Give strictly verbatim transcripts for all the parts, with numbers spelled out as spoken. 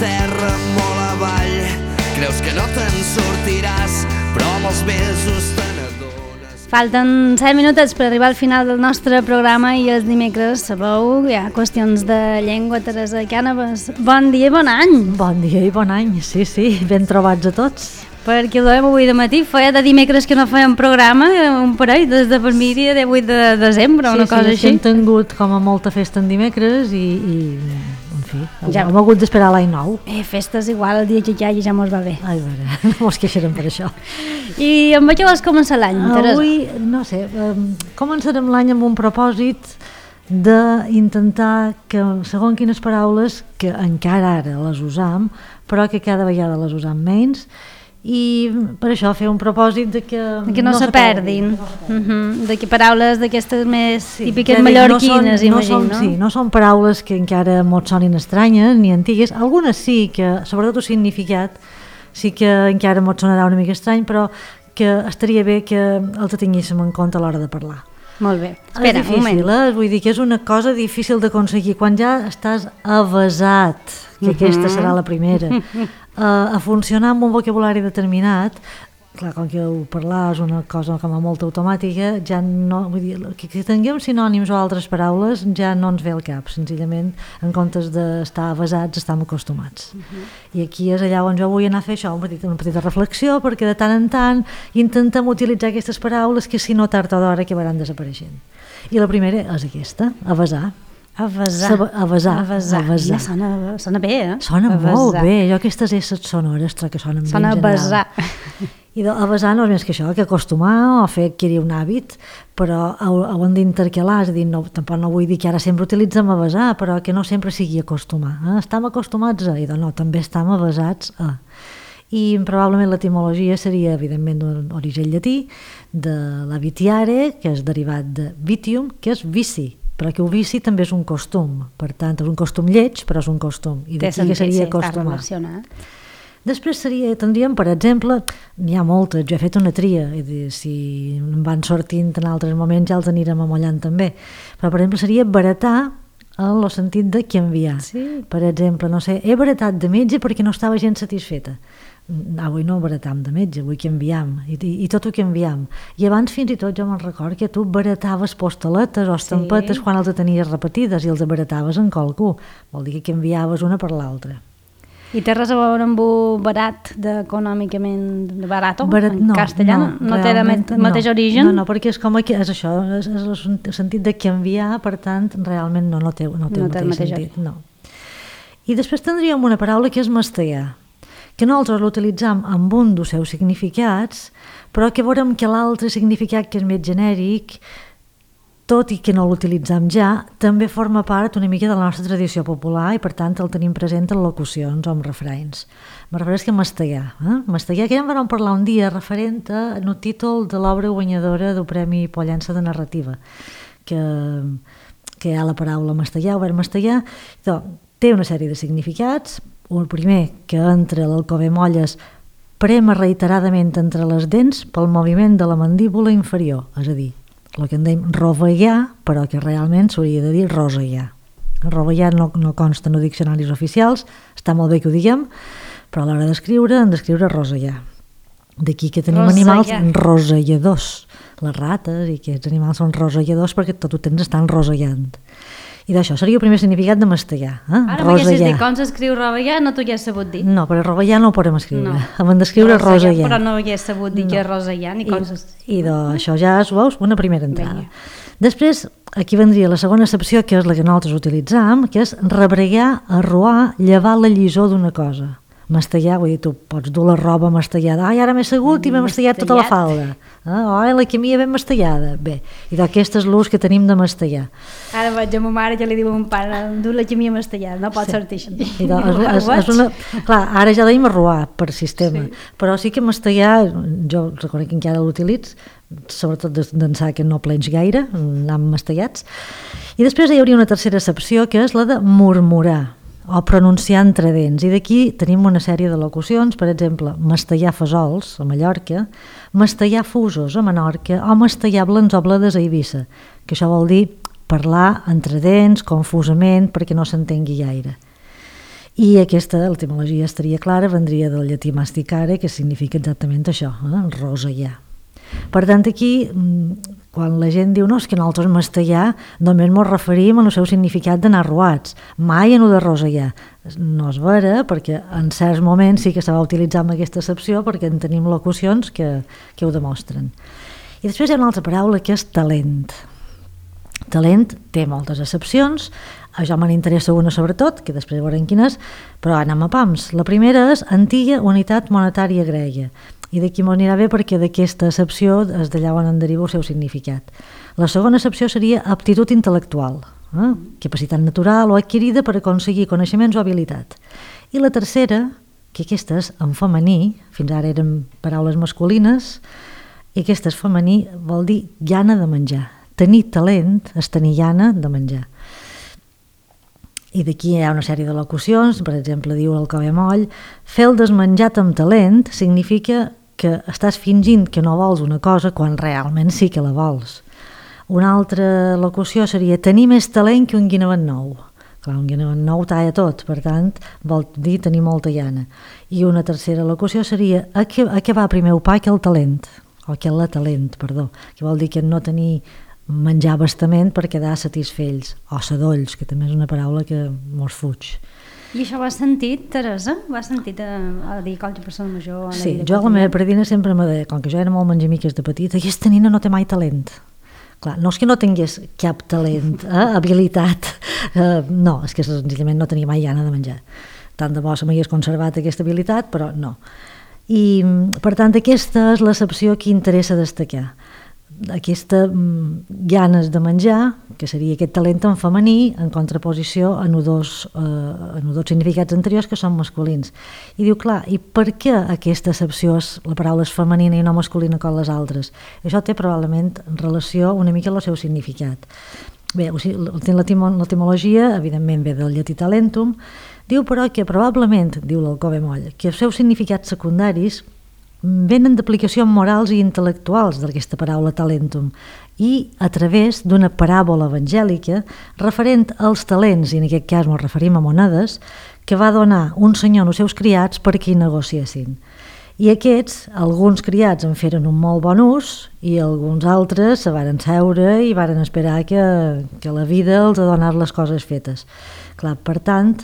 terra molt avall. Creus que no te'n sortiràs, però amb els mesos te n'adones. Falten set minutets per arribar al final del nostre programa i els dimecres, sabeu, hi ha qüestions de llengua. Teresa Cànovas, bon dia i bon any. Bon dia i bon any, sí, sí, ben trobats a tots. Perquè ho dèiem avui de matí, feia de dimecres que no fèiem programa, un parell, des de per mi dia de vuit de desembre, sí, una cosa sí, així. Sí, hem tingut com a molta festa en dimecres i, i en fi, ja hem hagut d'esperar l'any nou. Eh, festes igual, el dia que ja, ja mos va bé. Ai, veure, no mos queixarem per això. I amb què vas començar l'any, Teresa? Avui, no sé, començarem l'any amb un propòsit d'intentar que, segons quines paraules, que encara ara les usam, però que cada vegada les usam menys, i per això fer un propòsit de que, de que no, no se perdin, perdin. Uh-huh. De que paraules d'aquestes més sí, típiques no mallorquines, són, imagino, no? Són, sí, no són paraules que encara mos sonin estranyes ni antigues, algunes sí, que sobretot el significat sí que encara mos sonarà una mica estrany, però que estaria bé que els tinguéssim en compte a l'hora de parlar. Molt bé, espera, és difícil, un moment. Eh? Vull dir que és una cosa difícil d'aconseguir quan ja estàs avesat, que uh-huh. aquesta serà la primera, uh, a funcionar amb un vocabulari determinat. Clar, com que ho parlar és una cosa com a molt automàtica, ja no, vull dir, que, que tinguem sinònims o altres paraules ja no ens ve al cap, senzillament en comptes d'estar avesats estem acostumats. Uh-huh. I aquí és allà on jo vull anar a fer això, una petita, una petita reflexió, perquè de tant en tant intentem utilitzar aquestes paraules que si no tard o d'hora acabaran desapareixent. I la primera és aquesta, avesar. Avesar. Avesar. Avesar. Avesar. Ja sona, sona bé, eh? Sona avesar. molt bé. Jo aquestes esses sonores que sonen sona bé en general. Avesar. I de, avesar no és més que això, que acostumar o fer adquirir un hàbit, però ho, ho hem d'intercalar, és a dir, no, tampoc no vull dir que ara sempre utilitzem avesar, però que no sempre sigui acostumar. Eh? Estem acostumats a, i de, no, també estem avesats a. I probablement l'etimologia seria, evidentment, d'un origen llatí, de la vitiare, que és derivat de vitium, que és vici, però que el vici també és un costum, per tant, és un costum lleig, però és un costum, i d'aquí que seria sí, acostumar. Després seria, tindríem, per exemple, n'hi ha moltes, jo he fet una tria, és dir, si en van sortint en altres moments ja els anirem amollant també, però per exemple seria baratar en el sentit de canviar. Sí. Per exemple, no sé, he baratat de metge perquè no estava gens satisfeta. Avui no baratam de metge, avui canviam, i, i, i tot ho canviam. I abans fins i tot jo me'n record que tu barataves postaletes o estampetes sí. quan els tenies repetides i els barataves en qualcú. Vol dir que canviaves una per l'altra. I té res a veure amb un barat econòmicament barato, barat, en no, castellà? No, no té el mateix no, origen? No, no, perquè és com que és això, és, és el sentit de canviar, per tant, realment no, no té, no té, no el, té mateix el mateix sentit. No. I després tindríem una paraula que és mastegar, que nosaltres l'utilitzam amb un dels seus significats, però que veurem que l'altre significat, que és més genèric, tot i que no l'utilitzam ja, també forma part una mica de la nostra tradició popular i per tant el tenim present en locucions o en refrains. Me refereix que mastegar. Eh? Mastegar, que ja en vam parlar un dia referent a el títol de l'obra guanyadora del Premi Pollença de Narrativa, que, que hi ha la paraula mastegar, o ver mastegar, té una sèrie de significats. El primer, que entre l'Alcover Molles prema reiteradament entre les dents pel moviment de la mandíbula inferior, és a dir, el que en dèiem rovellar, però que realment s'hauria de dir rosellar. Rovellar no, no consta en diccionaris oficials, està molt bé que ho diguem, però a l'hora d'escriure hem d'escriure rosellar. D'aquí que tenim rosellar. Animals roselladors, les rates i aquests animals són roselladors perquè tot el temps estan rosellant. I d'això seria el primer significat de mastegar. Eh? Ara m'haguessis dit com s'escriu rovellar, no t'ho hagués sabut dir. No, però rovellar no ho podem escriure. No. Hem d'escriure rosellar. Però no hagués sabut dir no. que és rosellar ni com s'escriu. I, i d'això ja és, veus, una primera entrada. Venga. Després, aquí vendria la segona accepció, que és la que nosaltres utilitzam, que és rebregar, arruar, llevar la llisor d'una cosa. Mastegar, vull dir, tu pots dur la roba mastellada, ai, ara m'he assegut i m'he mastellat tota la falda, ah, ai, la camilla ben mastellada, bé, i d'aquest és l'ús que tenim de mastellar. Ara vaig a ma mare que li diu a mon pare, dur la camilla mastellada, no pot sí. sortir això. I de, és, és, és una, clar, ara ja deim arruar per sistema, sí. però sí que mastellar, jo reconec que encara l'utilitz, sobretot d'ençà que no plens gaire, anam mastellats, i després hi hauria una tercera accepció, que és la de murmurar, o pronunciar entre dents, i d'aquí tenim una sèrie de locucions, per exemple, mastellar fesols a Mallorca, mastellar fusos a Menorca o mastellar blens o bledes a Eivissa, que això vol dir parlar entre dents, confusament, perquè no s'entengui gaire. I aquesta etimologia estaria clara, vendria del llatí masticare, que significa exactament això, eh? rosegar. Per tant, aquí, quan la gent diu no, és que nosaltres mastegar, només ens referim al seu significat d'anar ruats, mai en el de rosegar. No és vera, perquè en certs moments sí que se va utilitzar amb aquesta accepció, perquè en tenim locucions que, que ho demostren. I després hi ha una altra paraula que és talent. Talent té moltes accepcions, a jo me n'interessa una sobretot, que després veurem quina és, però anem a pams. La primera és antiga unitat monetària grega, i d'aquí m'ho anirà bé perquè d'aquesta accepció és d'allà on en deriva el seu significat. La segona accepció seria aptitud intel·lectual, eh? capacitat natural o adquirida per aconseguir coneixements o habilitat. I la tercera, que aquesta és en femení, fins ara eren paraules masculines, i aquesta és femení, vol dir llana de menjar. Tenir talent és tenir llana de menjar. I d'aquí hi ha una sèrie de locucions, per exemple, diu el Cove Moll, fer el desmenjat amb talent significa que estàs fingint que no vols una cosa quan realment sí que la vols. Una altra locució seria tenir més talent que un guinevet nou. Clar, un guinevet nou talla tot, per tant, vol dir tenir molta llana. I una tercera locució seria a què, a què va primer el pa que el talent, o que la talent, perdó, que vol dir que no tenir menjar bastament per quedar satisfells, o sadolls, que també és una paraula que mos fuig. I això ho has sentit, Teresa? Ho has sentit a, a dir qualque persona major? A la sí, vida jo a la meva predina sempre m'ha de, com que jo era molt menjamiques de petita, aquesta nina no té mai talent. Clar, no és que no tingués cap talent, eh, habilitat, eh, no, és que senzillament no tenia mai gana de menjar. Tant de bo se m'hagués conservat aquesta habilitat, però no. I, per tant, aquesta és l'accepció que interessa destacar. Aquesta mm, ganes de menjar, que seria aquest talent en femení, en contraposició a dos, eh, dos significats anteriors que són masculins. I diu, clar, i per què aquesta accepció, és, la paraula és femenina i no masculina com les altres? Això té probablement relació una mica amb el seu significat. Bé, l'etimologia, evidentment, ve del llatí talentum, diu però que probablement, diu l'Alcove Moll, que els seus significats secundaris venen d'aplicacions morals i intel·lectuals d'aquesta paraula talentum i a través d'una paràbola evangèlica referent als talents, i en aquest cas ens referim a monedes, que va donar un senyor als seus criats perquè hi negociessin. I aquests, alguns criats en feren un molt bon ús i alguns altres se varen seure i varen esperar que, que la vida els ha donat les coses fetes. Clar, per tant,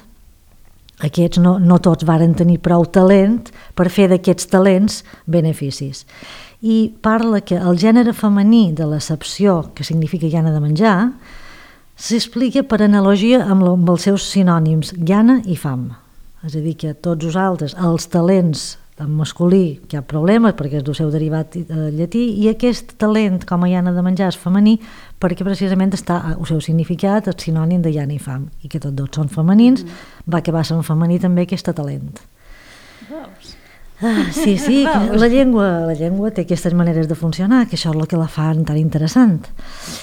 aquests no, no tots varen tenir prou talent per fer d'aquests talents beneficis. I parla que el gènere femení de l'accepció, que significa llana de menjar, s'explica per analogia amb, amb els seus sinònims llana i fam. És a dir, que tots els altres, els talents en masculí, que hi ha problemes perquè és del seu derivat llatí, i aquest talent com a llana de menjar és femení perquè precisament està el seu significat, el sinònim de llana i fam, i que tots dos són femenins, mm. va acabar sent femení també aquest talent. Veus? Ah, sí, sí, la llengua, la llengua té aquestes maneres de funcionar, que això és el que la fan tan interessant.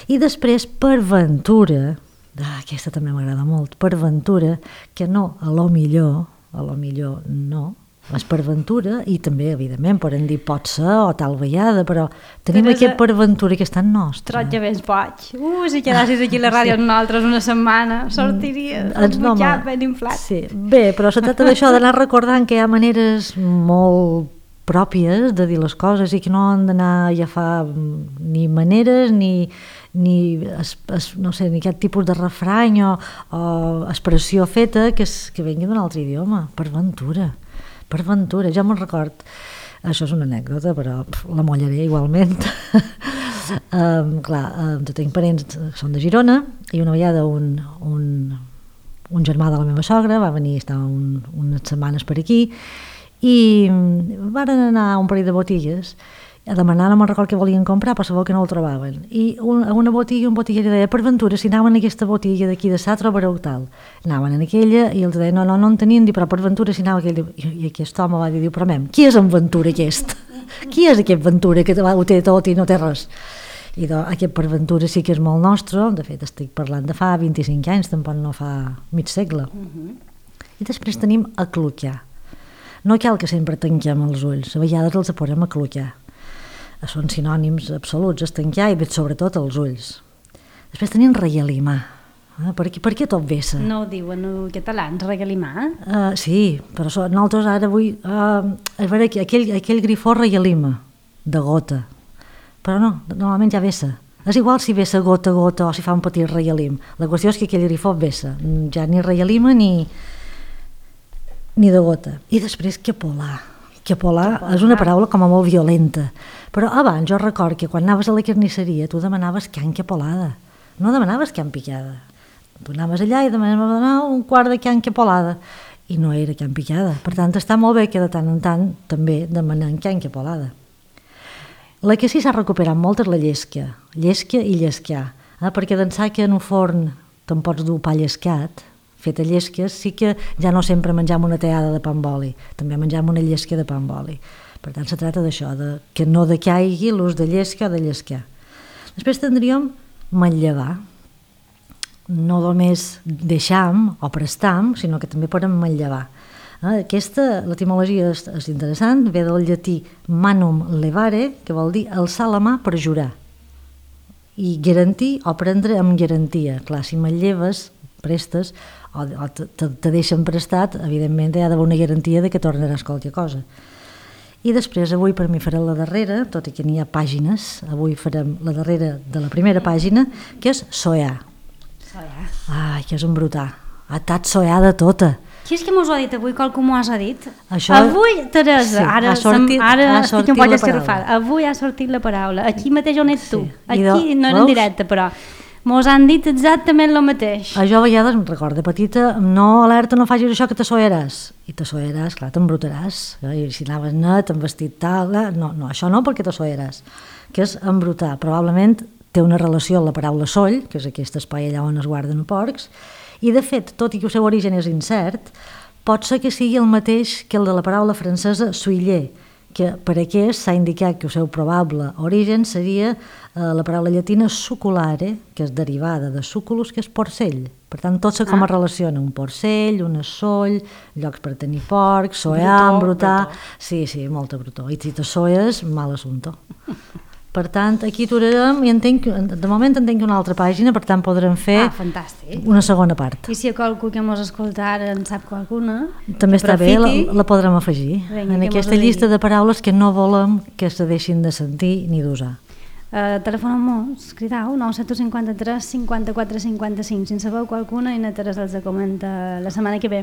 I després, per ventura, ah, aquesta també m'agrada molt, per ventura, que no, a lo millor, a lo millor no, és per ventura, i també, evidentment, poden dir pot ser o tal vegada, però tenim Teresa, aquest per ventura que és tan nostre. Troja ben boig. Uh, si quedassis aquí a la ràdio sí. amb nosaltres una setmana, sortiries el no, butxat ben inflat. Sí. Bé, però se tracta d'això, d'anar recordant que hi ha maneres molt pròpies de dir les coses i que no han d'anar a agafar ni maneres ni, ni, es, es, no sé, ni cap tipus de refrany o, o expressió feta que, es, que vengui d'un altre idioma, per ventura. Per ventura, ja me'n record, això és una anècdota, però pf, la mollaré igualment. um, clar, um, tinc parents, són de Girona, i una vegada un, un, un germà de la meva sogra va venir, estava un, unes setmanes per aquí, i van anar a un parell de botigues a demanar, no me'n record què volien comprar, però sabeu que no el trobaven. I un, a una botiga, un botiguer deia, per ventura, si anaven a aquesta botiga d'aquí de Sa, trobareu tal. Anaven en aquella i els deia, no, no, no en tenien, però per ventura, si anava aquella. I, i aquest home va dir, diu, però mem, qui és en Ventura aquest? Qui és aquest Ventura que ho té tot i no té res? I do, aquest per ventura sí que és molt nostre, de fet estic parlant de fa vint-i-cinc anys, tampoc no fa mig segle. Uh-huh. I després tenim aclucar. No cal que sempre tanquem els ulls, a vegades els posem a aclucar. Són sinònims absoluts, estancar i sobretot els ulls. Després tenim realimar. Eh? Per, què, per què tot vessa? No ho diuen en català, ens regalimar? Uh, sí, però so, nosaltres ara vull... Uh, a veure, aquell, aquell grifó reialima, de gota. Però no, normalment ja vessa. És igual si vessa gota a gota o si fa un petit reialim. La qüestió és que aquell grifó vessa. Ja ni reialima ni, ni de gota. I després quepolar. Quepolar és una paraula com a molt violenta. Però abans jo record que quan anaves a la carnisseria tu demanaves can quepolada. No demanaves can picada. Tu anaves allà i demanaves un quart de can quepolada i no era can picada. Per tant, està molt bé que de tant en tant també demanem can quepolada. La que sí s'ha recuperat molt és la llesca. Llesca i llescar. Eh? Perquè d'ençà que en un forn te'n pots dur pa llescat, fet a llesques, sí que ja no sempre mengem una teada de pa amb oli, també mengem una llesca de pa amb oli. Per tant, se tracta d'això, de que no decaigui l'ús de llesca o de llescar. Després tindríem manllevar. No només deixam o prestam, sinó que també podem manllevar. Aquesta, l'etimologia és, és interessant, ve del llatí manum levare, que vol dir alçar la mà per jurar. I garantir o prendre amb garantia. Clar, si manlleves, prestes, o, o te, te deixen prestat, evidentment hi ha d'haver una garantia de que tornaràs qualque cosa. I després avui per mi farem la darrera, tot i que n'hi ha pàgines, avui farem la darrera de la primera pàgina, que és soear. Soear. Ai, que és embrutar. Ha estat soeada tota. Qui és que mos ho ha dit avui? Qualcú m'ho ha dit? Això... Avui, Teresa, sí, ara, sortit, sem, ara estic un poc escarrafada. Avui ha sortit la paraula. Aquí mateix on ets tu. Sí. Aquí no era en directe, però mos han dit exactament el mateix. A jo a vegades em recordo, petita, no, alerta, no facis això que te soeràs. I te soeràs, clar, t'embrutaràs. I si anaves net, amb vestit tal... No, no, això no, perquè te soeràs. Que és embrutar. Probablement té una relació amb la paraula soll, que és aquest espai allà on es guarden porcs, i de fet, tot i que el seu origen és incert, pot ser que sigui el mateix que el de la paraula francesa suiller, que per aquest s'ha indicat que el seu probable origen seria eh, la paraula llatina suculare, que és derivada de suculus, que és porcell. Per tant, tot se com a ah. relaciona, un porcell, una soll, llocs per tenir porcs, soear, embrutar... Sí, sí, molta brutó. I si te soes, mal assumpte. Per tant, aquí aturarem i entenc, de moment entenc una altra pàgina, per tant podrem fer ah, fantàstic. Una segona part. I si hi ha qualcú que mos escolta ara en sap qualcuna... També està bé, la, la podrem afegir. Venga, en aquesta llista de paraules que no volem que se deixin de sentir ni d'usar. Uh, Telefoneu-mos, cridau, nou set cinquanta-tres cinquanta-quatre cinquanta-cinc. Si en sabeu qualcuna, i na Teresa els comenta la setmana que ve.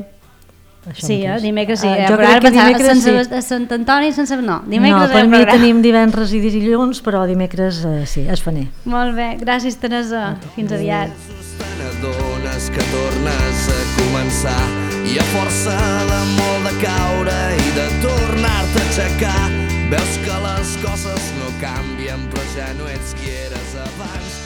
Això sí, eh? Dimecres sí. Uh, jo crec que dimecres sí. A Sant Antoni sense... No, dimecres no, per mi tenim divendres i dilluns, però dimecres uh, sí, es faner. Molt bé, gràcies Teresa, fins aviat. T'adones que tornes a començar i a força de molt de caure i de tornar-te a aixecar veus que les coses no canvien però ja no ets qui eres abans.